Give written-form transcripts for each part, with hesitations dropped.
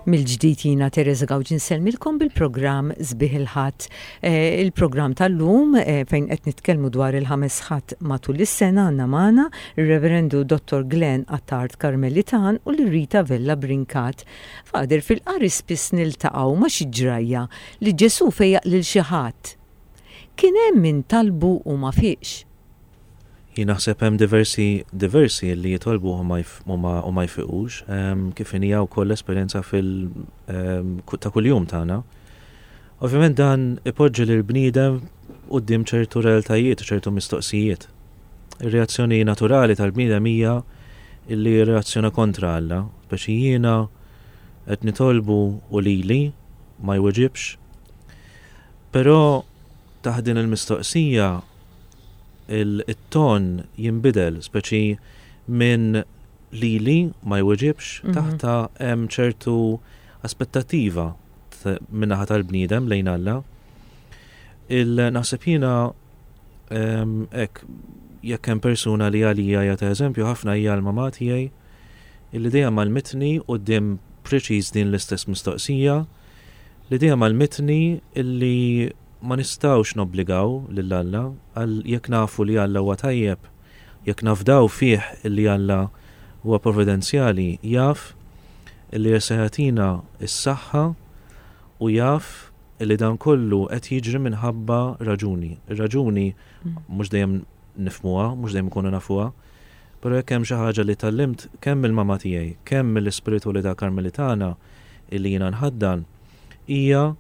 Mill-ġdid jiena Teresa Gawġi nsellmilkom bil-programm Sbieħ il-Ħadd. Eh, il-programm tal-lum eh, fejn qed nitkellmu dwar il-ħames ħadd matul is-sena għandna magħna ir-Reverendu Dottor Glenn Attard Karmelitan u l-Rita Vella Brincat. Fader fil-qari spiss niltaqgħu ma' xi ġrajja li Ġesù fejjaq lil xi ħadd. Kien hemm min talbu u ma fieqx. Jien naħseb hemm diversi diversi li jitolbu u ma u ma jfiqux, kif inhija wkoll l-esperjenza fil ta' kuljum tagħna. Ovvjament dan ipoġġi lil bniedem quddiem ċertu realtajiet u ċertu mistoqsijiet. Ir-reazzjoni naturali tal-bniedem hija illi jirreazzjona kontra Alla, speċi jiena qed nitolbu u lili ma jweġibx. Però taħt din il-mistoqsija it-ton jinbidel, speċi minn lili ma jweġibx, mhm. taħta hemm ċertu aspettattiva min-naħa tal-bniedem lejn Alla. Il-naħseb jiena hekk jekk hemm persuna li għalija hija ta' eżempju ħafna hija l-mamà tiegħi illi dejjem għallmitni quddiem preċiż din l-istess mistoqsija li dejjem għallmitni illi ma nistgħux nobbligaw lil Alla għal jekk nafu li Alla huwa tajjeb, jekk nafdaw fih illi Alla huwa providenzjali, jaf illi se jagħtina s-saħħa u jaf illi dan kollu qed jiġri minħabba raġuni. Ir-raġuni mhux dejjem nifhmuha, mhux dejjem ikunu nafuha, però jekk hemm xi ħaġa li tgħallimt kemm mill-mama tiegħi, kemm mill-ispiritwalità Karmelitana illi jiena nħaddan, hija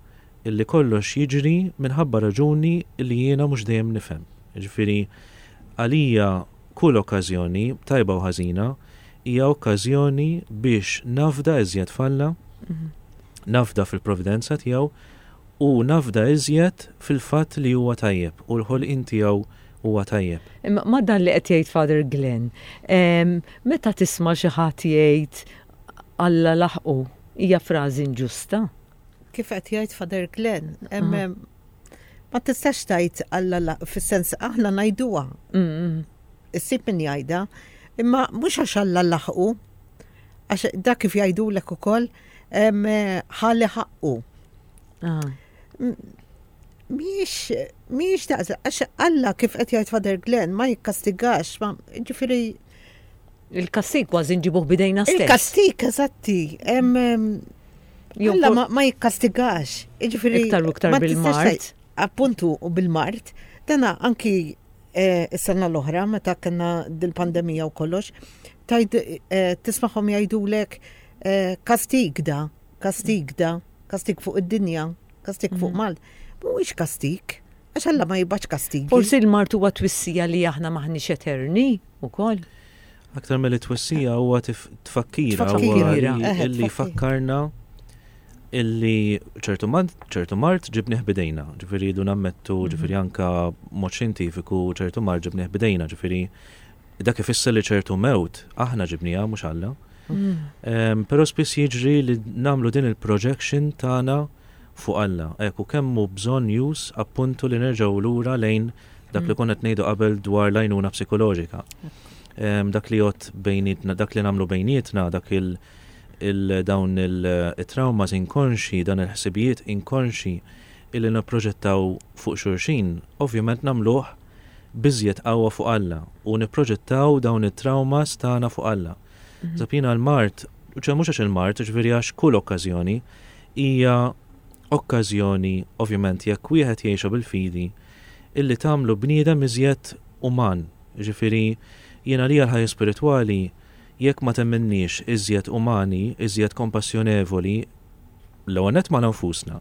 illi kollox jiġri minħabba raġuni illi jiena mhux dejjem nifhem. Jiġifieri għalija kull okkażjoni, tajba u ħażina, hija okkażjoni biex nafda iżjed f'Alla, mhm. nafda fil-providenza tiegħu u nafda iżjed fil-fatt li huwa tajjeb u l-ħolqien tiegħu huwa tajjeb. Imma ma dan li qed jgħid Father Glenn, meta tisma' xi ħadd jgħid Alla laħqu, hija frażi inġusta. Kif qed jgħid Father Glenn, ma tistax tgħid Alla fis-sens aħna ngħiduha. Issib min jgħidha, imma mhux għax Alla laħqu, għax dak kif jgħidulek ukoll ħalli ħaqqu. Ah. Mhijiex mhijiex daqs għax Alla kif qed jgħid Father Glenn ma jikkastigax, ma ġifieri Il-kastig kważi nġibuh bidejna stess. Il-kastig, eżatti. Alla ma jikkastigax. Ġifieri iktar u iktar bil-mart. Appuntu u bil-mart. Dana anki eh, is-sena l-oħra meta kellna dil-pandemija u kollox, tajd eh, tismagħhom jgħidulek eh, kastig da, kastig da, kastig fuq id-dinja, kastig fuq mhm. Malta. Mhuwiex kastig, għax Alla ma jibgħatx kastigi. Forsi l-mart huwa twissija li aħna maħniex eterni ukoll. Aktar milli twissija huwa tfakkira huwa illi fakkarna illi ċertu mart, ċertu mart ġibnih bidejna, ġifieri jridu nammettu, mhm. ġifieri anka mod xjentifiku ċertu mart ġibnih bidejna, ġifieri dak ifisser li ċertu mewt aħna ġibniha mhux Alla. Mm. Però spiss jiġri li nagħmlu din il-projection tagħna fuq Alla. Ekku kemm hu bżonn jus appuntu li nerġgħu lura lejn Dak li mm. konna qed ngħidu qabel dwar l-għajnuna psikoloġika. Dak li jgħod bejnietna, dak li nagħmlu bejnietna, dak il dawn il-traumas inkonxi, dan il-ħsibijiet inkonxi illi nipproġettaw fuq xulxin, ovvjament nagħmluh biżjed qawwa fuq Alla u nipproġettaw dawn it-traumas tagħna fuq Alla. Mhm. Zapina l-mart, ċe mhux għax il-mart, ġifieri għax kull okkażjoni hija okkażjoni ovvjament jekk wieħed jgħixha bil-fidi illi tagħmlu bniedem iżjed uman. Jiġifieri, jien għalija l-ħajja spiritwali jekk ma tgħemminniex iżjed umani, iżjed kompassjonevoli, l-ewwel nett magħna nfusna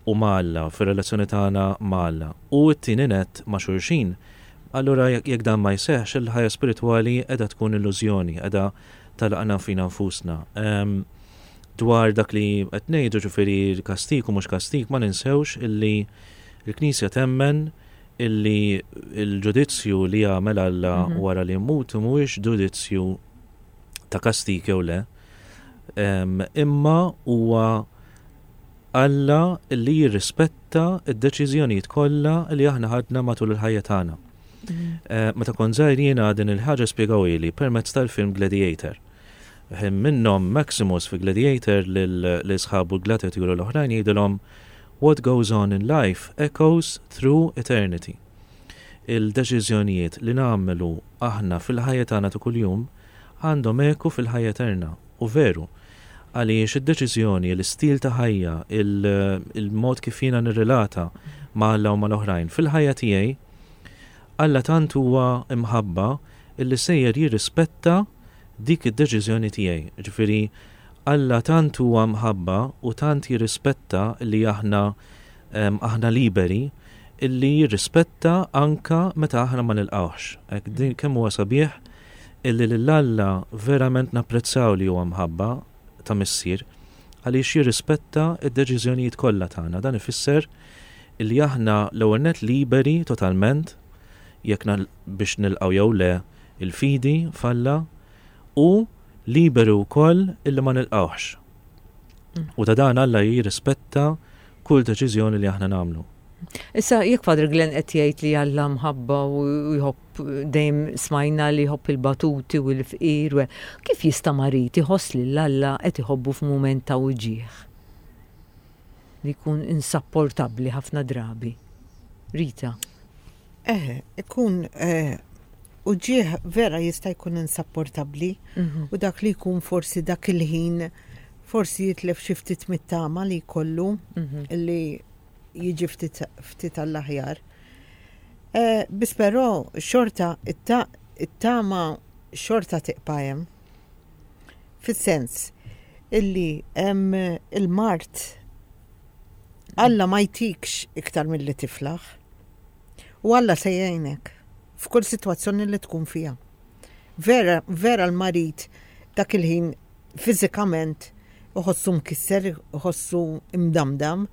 u ma' Alla, fir-relazzjoni tagħna ma' Alla, u t-tieni nett ma' xulxin, allura jekk dan ma jseħħx, il-ħajja spiritwali qiegħda tkun illużjoni, qiegħda tagħlaqna fina nfusna. Ehm, dwar dak li qed ngħidu ġifieri kastik u mhux kastik ma ninsewx illi Il-Knisja temmen illi l-ġudizzju li jagħmel Alla mhm. wara li jmut mhuwiex ġudizzju ta' kastik jew le, imma huwa Alla li jirrispetta d-deċiżjonijiet kollha li aħna ħadna matul il-ħajja tagħna. Mhm. Eh, meta kont żgħir jiena din il-ħaġa spjegawili permezz tal-film Gladiator. Ħin minnhom Maximus fi Gladiator lil sħabu l-gladiaturi l-oħrajn jgħidilhom What goes on in life echoes through eternity. Il-deċiżjonijiet li nagħmlu aħna fil-ħajja tagħna ta' kuljum għandhom eku fil-ħajja eterna. U veru, għaliex id-deċiżjoni, l-istil ta' ħajja, il-mod kif jiena nirrelata ma' Alla u mal-oħrajn fil-ħajja tiegħi, Alla tant huwa imħabba illi sejjer jirrispetta dik id-deċiżjoni tiegħi. Ġifieri, Alla tant huwa mħabba u tant jirrispetta li aħna aħna liberi illi jirrispetta anka meta aħna ma nilqgħuhx. Hekk din kemm huwa sabiħ illi lil Alla verament napprezzaw li huwa mħabba ta' missier għaliex jirrispetta d-deċiżjonijiet kollha tagħna. Dan ifisser illi aħna l-ewwel nett liberi totalment jekk biex nilqgħu jew le il-fidi f'Alla u liberu wkoll illi ma nilqgħuhx. U ta' dan Alla jirrispetta kull deċiżjoni li aħna nagħmlu. Issa jekk Father Glenn qed jgħid li Alla mħabba u jħobb dejjem smajna li jħobb il-batuti u l-fqir, kif jista' marid iħoss lil Alla qed iħobbu f'mument ta' uġigħ li jkun insapportabbli ħafna drabi? Rita. Eħe, ikun eh, uġigħ vera jista' jkun insapportabbli mhm. u dak li jkun forsi dak il-ħin forsi jitlef xi ftit mit-tama li jkollu mhm. li jiġi ftit għall-aħjar. Eh, biss però xorta it-tama xorta tiqpa' hemm. Fis-sens illi hemm il-mart Alla ma jtikx iktar milli tiflaħ. U Alla se jgħinek f'kull sitwazzjoni li tkun fiha. Vera, vera l-marid dak il-ħin fiżikament iħossu mkisser, iħossu imdamdam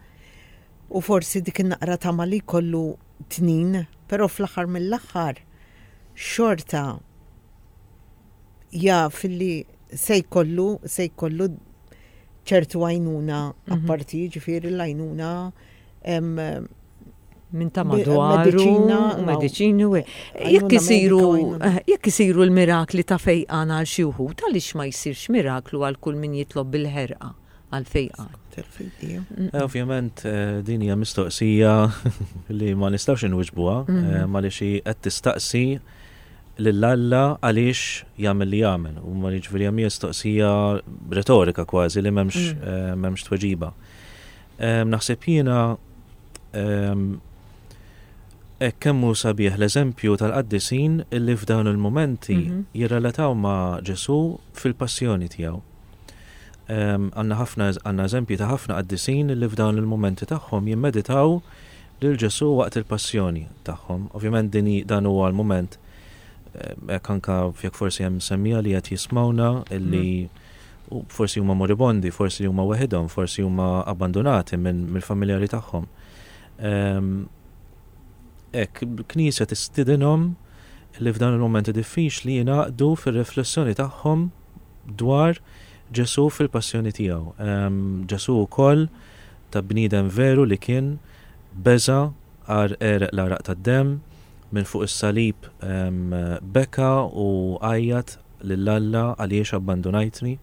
u forsi dik in-naqra tama li jkollu tnin, però fl-aħħar mill-aħħar xorta jaf li se jkollu se jkollu ċertu għajnuna mhm. apparti, ġifieri l-għajnuna minn ta' madwaru, mediċini u jekk isiru eh, jekk isiru l-mirakli ta' fejqan għal xi wħud, għaliex ma jsirx miraklu għal kull min jitlob bil-ħerqa għal fejqan. Eh, ovvjament eh, din hija mistoqsija li ma nistgħux inwiġbuha, mhm. ma li xi qed tistaqsi lil Alla għaliex jagħmel li jagħmel. U ma jiġifieri hemm mistoqsija retorika kważi li m'hemmx mm. eh, m'hemmx tweġiba. Naħseb jiena hekk kemm hu sabiħ l-eżempju tal-qaddisin illi f'dawn il-momenti mhm. jirrelataw ma' Ġesu fil-passjoni tiegħu. Għandna ħafna għandna eżempji ta' ħafna qaddisin li f'dawn il-momenti tagħhom jimmeditaw lil Ġesù waqt il-passjoni tagħhom. Ovvjament din dan huwa l-mument eh, hekk anka jekk forsi hemm semmija li qed jismawna illi mm. forsi huma moribondi, forsi huma weħidhom, forsi huma abbandonati minn mill-familjari tagħhom. Ehm, hekk, il-Knisja tistidinhom li f'dan il-momenti diffiċli jingħaqdu fir-riflessjoni tagħhom dwar Ġesù fil-passjoni tiegħu. Ehm, Ġesù wkoll ta' bniedem veru li kien, beża', għar għereq l-għaraq tad-demm, minn fuq is-salib beka u għajjat lil Alla għaliex abbandunajtni.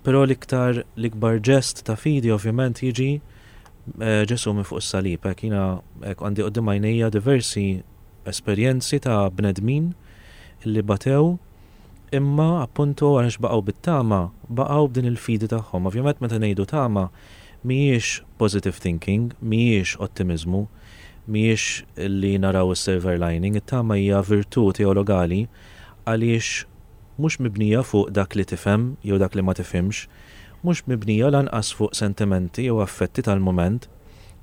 Però l-iktar l-ikbar ġest ta' fidi ovvjament jiġi eh, Ġesù minn fuq is-salib. Hekk jiena hekk għandi quddiem għajnejja diversi esperjenzi ta' bnedmin li batew Imma, appuntu, għaliex baqgħu bit-tama, baqgħu b'din il-fidi tagħhom. Ovvjament meta ngħidu tama, mhijiex positive thinking, mhijiex ottimiżmu, mhijiex li naraw is-silver lining, it-tama hija virtù teologali għaliex mhux mibnija fuq dak li tifhem jew dak li ma tifhimx, mhux mibnija lanqas fuq sentimenti jew affetti tal-mument,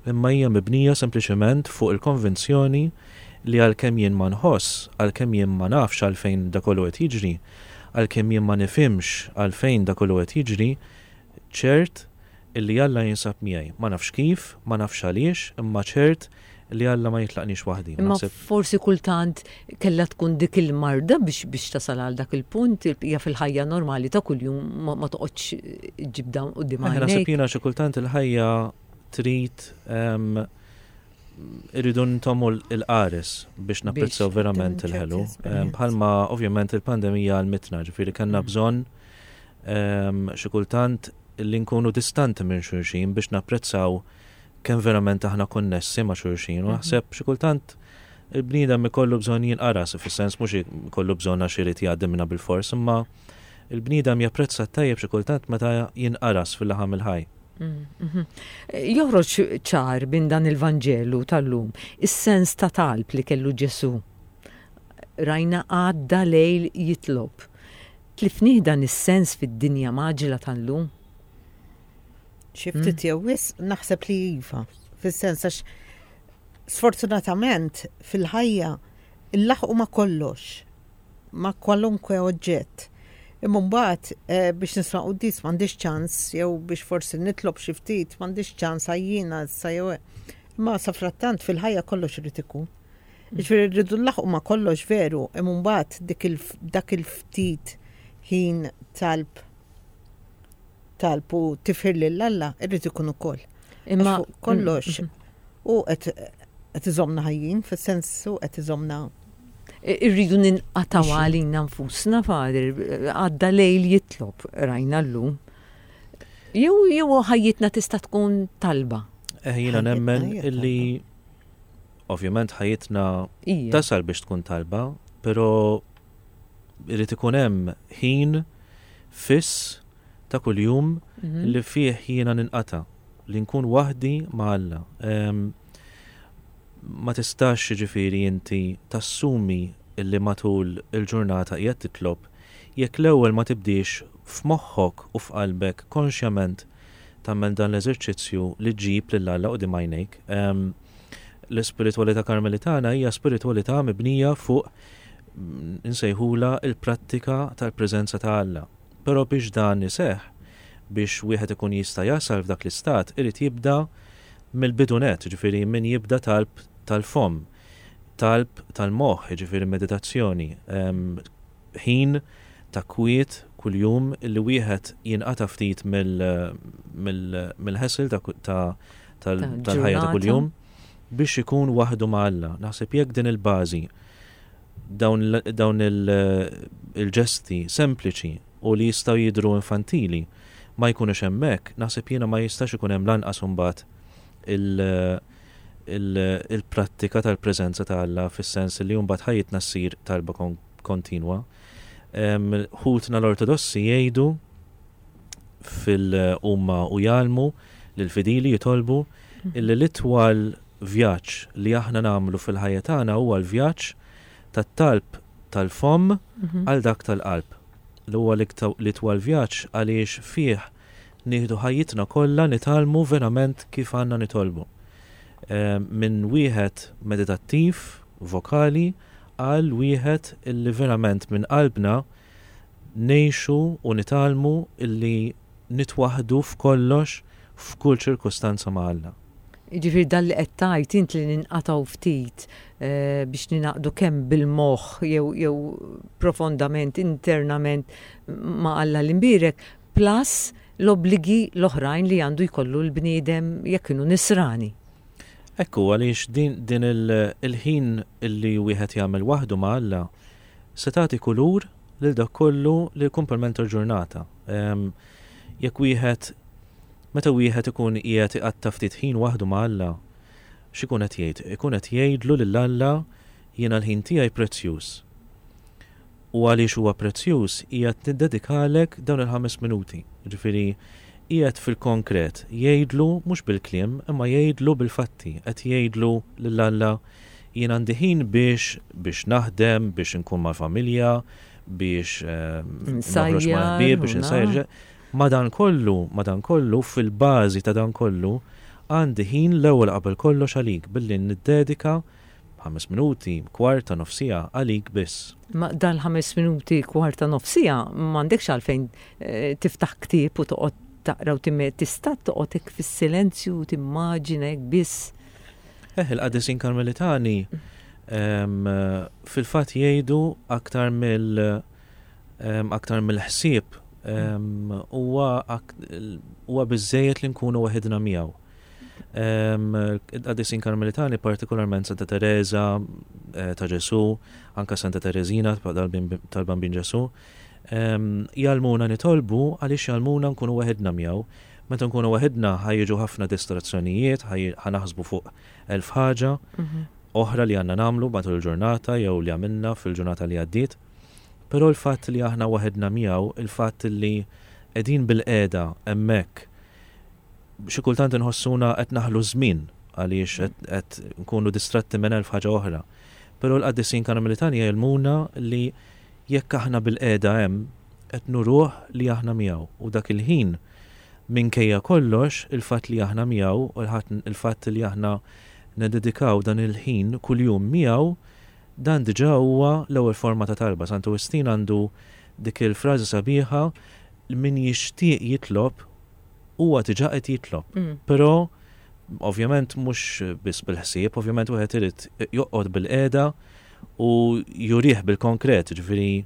imma hija mibnija sempliċement fuq il-konvinzjoni li għalkemm jien ma nħoss, għalkemm jien ma nafx għalfejn da kollu qed jiġri, għalkemm jien ma nifhimx għalfejn da kollu qed jiġri, ċert illi Alla jinsab miegħi. Ma nafx kif, ma nafx għaliex, imma ċert li Alla ma jitlaqnix waħdi. Imma forsi kultant kellha tkun dik il-marda biex biex tasal għal dak il-punt, il-bqija fil-ħajja normali ta' kuljum ma toqgħodx ġib dawn quddiem għajnejk. Naħseb jiena xi kultant il-ħajja trid irridu ntommu l-qares biex napprezzaw verament il-ħelu. Bħalma ovvjament il-pandemija għal-mitna, ġifiri kellna mm. bżonn. Xi kultant li nkunu distanti minn xulxin biex napprezzaw kemm verament aħna konnessi ma' xulxin. U naħseb xi kultant il-bniedem ikollu bżonn jinqaras, fis-sens mhux ikollu bżonn għax irid jgħaddi minnha bilfors, imma il-bniedem japprezza t-tajjeb xi kultant meta jinqaras fil-laħam il-ħaj. Joħroġ ċar minn dan il-Vanġelu tal-lum is-sens ta' talb li kellu Ġesù. Rajna għadda lejl jitlob. Tlifnih dan is-sens fid-dinja mgħaġġla tal-lum? Xi ftit jew wisq naħseb li iva, fis-sens għax sfortunatament fil-ħajja nlaħħqu ma' kollox, ma' kwalunkwe oġġett. Imma mbagħad eh, biex nisma' quddies m'għandix ċans jew biex forsi nitlob xi ftit m'għandix ċans għajjiena issa jew imma safrattant fil-ħajja kollox irid ikun. Jiġifieri rridu nlaħħqu ma' kollox veru, imma mbagħad dak il-ftit ħin talb talb u tifħir lil Alla irrid ikun ukoll. Imma kollox mm, mm. u qed iżomna ħajjin, fis-sens u qed iżomna Irridu ninqataw għalina nfusna, Father, għadda lejl jitlob rajna llum. Jew jew ħajjitna tista' tkun talba. Eh, jiena nemmen illi ovvjament ħajjitna tasal biex tkun talba, però irid ikun hemm ħin fiss ta' kuljum mhm. li fih jiena ninqata' li nkun waħdi ma' Alla. Ma tistax ġifieri inti tassumi li matul il-ġurnata qiegħed titlob jekk l-ewwel ma tibdiex f'moħħok u f'qalbek konxjament tagħmel dan l-eżerċizzju li ġġib lil Alla quddiem għajnejk. L-ispiritwalità Karmelitana hija spiritwalità mibnija fuq insejħulha il-prattika tal-preżenza ta' Alla. Però biex dan iseħħ, biex wieħed ikun jista' jasal f'dak l-istat, irid jibda mill-bidu nett, jiġifieri min jibda talb tal-fomm, talb tal-moħħ, jiġifieri meditazzjoni, ħin ta' kwiet kuljum li wieħed jinqata' ftit mill-ħesel tal-ħajja ta' kuljum biex ikun waħdu ma' Alla. Naħseb jekk din il-bażi dawn il-ġesti sempliċi u li jistgħu jidhru infantili ma jkunux hemmhekk, naħseb jiena ma jistax ikun hemm lanqas imbagħad il-prattika tal-preżenza ta' Alla fis-sens li mbagħad ħajjitna ssir talba kontinwa. Ħutna l-Ortodossi jgħidu fil-huma u jgħallmu lill-fidili jitolbu illi l-itwal vjaġġ li aħna nagħmlu fil-ħajja tagħna huwa l-vjaġġ tat-talb tal-fomm mhm. għal dak tal-qalb. Li huwa l-itwal vjaġġ għaliex fih nieħdu ħajjitna kollha nitgħallmu verament kif għandna nitolbu. Minn wieħed meditattiv, vokali, għal wieħed illi verament minn qalbna ngħixu u nitgħallmu illi nitwaħħdu f'kollox f'kull ċirkustanza ma' Alla. Jiġifieri dan li qed tgħid int li ninqatgħu ftit biex ningħaqdu kemm bil-moħħ jew jew profondament internament ma' Alla l-Imbierek plus l-obbligi l-oħrajn li għandu jkollu l-bniedem jekk inhu nisrani. Hekk hu għaliex din din il-ħin li wieħed jagħmel waħdu ma' Alla se tagħti kulur lil dak kollu li l-kumplament tal-ġurnata. Jekk wieħed meta wieħed ikun qiegħed iqatta' ftit ħin waħdu ma' Alla, x'ikun qed jgħid? Ikun qed jgħidlu lil Alla jiena l-ħin tiegħi prezzjuż. U għaliex huwa prezzjuż qiegħed niddedikalek dawn il-ħames minuti. Jiġifieri qiegħed fil-konkret jgħidlu mhux bil-kliem imma jgħidlu bil-fatti, qed jgħidlu lil Alla jien għandi ħin biex biex naħdem, biex inkun mal-familja, biex noħroġ mal-ħbieb, biex insajjar. Madankollu, madankollu, fil-bażi ta' dan kollu, għandi ħin l-ewwel qabel kollox għalik billi niddedika ħames minuti, kwarta, nofs siegħa għalik biss. Ma dal-ħames minuti, kwarta, nofs siegħa m'għandekx għalfejn eh, tiftaħ ktieb u toqgħod taqra u tista' toqgħod hekk fis-silenzju u timmaġina hekk biss. Eh, il-qadisin Karmelitani fil-fatt jgħidu aktar mill aktar mill-ħsieb huwa huwa biżejjed li nkunu waħidna miegħu. Il-qadisin Karmelitani partikolarment Santa Teresa eh, ta' Ġesu, anka Santa Teresina tal-Bambin Ġesu, Jgħallmuna nitolbu għaliex jgħallmuna nkunu waħedna miegħu. Meta nkunu waħedna ħa jiġu ħafna distrazzjonijiet, ħa naħsbu fuq elf ħaġa oħra li għandna nagħmlu matul il-ġurnata jew li għamilna fil-ġurnata li għaddiet. Però l-fatt li aħna waħedna miegħu, il-fatt li qegħdin bilqiegħda hemmhekk, xi kultant inħossuna qed naħlu żmien għaliex qed nkunu distratti minn elf ħaġa oħra. Però l-qaddisin Karmelitani jgħallmuna li jekk aħna bilqiegħda hemm, qed nuruh li aħna miegħu u dak il-ħin minkejja kollox il-fatt li aħna miegħu u il-fatt li aħna nededikaw dan il-ħin kuljum miegħu, dan diġà huwa l-ewwel forma ta' talba. Santu Wistin għandu dik il-frażi sabiħa li min jixtieq jitlob huwa diġà qed jitlob. Però ovvjament mhux biss bil-ħsieb, ovvjament wieħed irid joqgħod bilqiegħda u jurih bil-konkret, ġifieri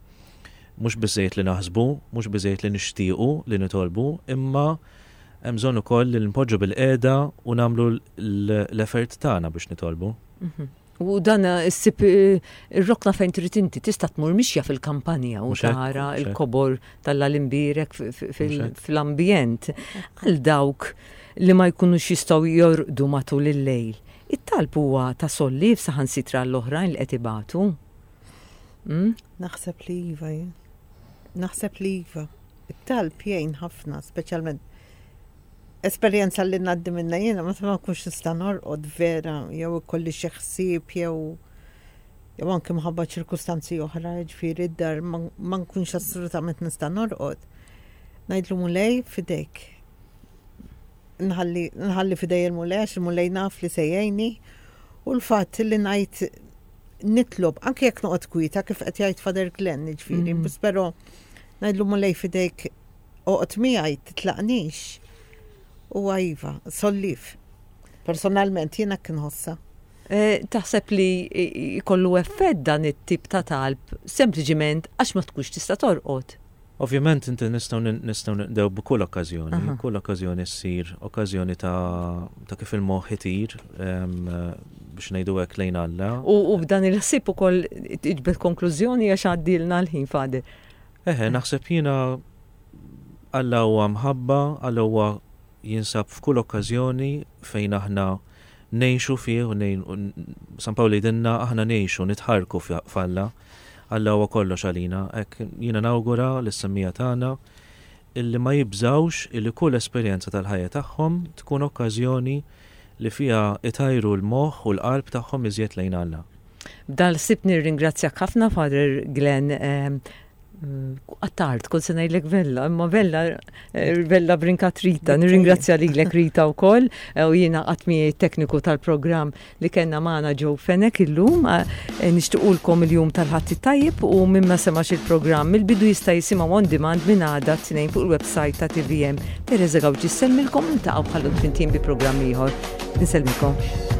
mhux biżejjed li naħsbu, mhux biżejjed li nixtiequ li nitolbu, imma hemm bżonn ukoll li npoġġu bilqiegħda u nagħmlu l-effort tagħna biex nitolbu. U dan issib ir-rokna fejn trid inti tista' tmur mixja fil-kampanja u tara l-kobor tal-Imbierek fl-ambjent. Għal dawk li ma jkunux jistgħu jorqdu matul il-lejl. It-talb huwa ta' solliev saħansitra għall-oħrajn li qed ibatu. Mm? Naħseb li iva jien. Naħseb li iva. It-talb jgħin ħafna, speċjalment esperjenza li ngħaddi minna jiena meta ma nkunx nista' norqod vera jew ikolli xi ħsieb jew jew anke mħabba ċirkustanzi oħra, ġifieri d-dar ma nkunx assolutament nista' norqod. Ngħidlu Mulej fidejk. Nħalli fidej il-Mulej għax il-Mulej naf li se jgħinni u l-fatt li ngħid nitlob anke jekk noqgħod kwieta kif qed jgħid Father Glenn, ġifieri, biss però ngħidlu Mulej fidejk oqgħod miegħi titlaqnix. Huwa iva, solliev. Personalment jiena hekk inħossha. Eh, taħseb li jkollu effett dan it-tip ta' talb sempliċiment għax ma tkunx tista' torqod? Ovvjament inti nistgħu nistgħu nqdew b'kull okkażjoni, kull okkażjoni ssir okkażjoni ta' ta' kif il-moħħ itir biex ngħidu hekk lejn Alla. U b'dan il-ħsieb ukoll tiġbed konklużjoni għax għaddilna l-ħin Father. Eħe, naħseb jiena Alla huwa mħabba, Alla huwa jinsab f'kull okkażjoni fejn aħna ngħixu fih u San Pawl jgħidilna aħna ngħixu, nitħarrku f'Alla. Alla huwa kollox għalina. Hekk jiena nawgura lis-semmiegħa tagħna illi ma jibżgħux illi kull esperjenza tal-ħajja tagħhom tkun okkażjoni li fiha itajru l-moħħ u l-qalb tagħhom iżjed lejn Alla. B'dal-ħsieb nirringrazzjak ħafna Father Glenn Attard, kont se ngħidlek Vella, imma Vella, eh, Vella Brincat Rita, nirringrazzja lilek Rita wkoll eh, u jiena qatt miegħi tekniku tal-programm li kellna magħna Joe Fenech illum. Eh, nixtiequlkom il-jum tal-Ħadd it-tajjeb u min ma semax il-programm mill-bidu jista' jisimgħu on demand minn għada t-Tnejn fuq il-website ta' TVM. Teresa Gauci ssellmilkom niltaqgħu bħal flimkien bi programm ieħor. Insellmilkom.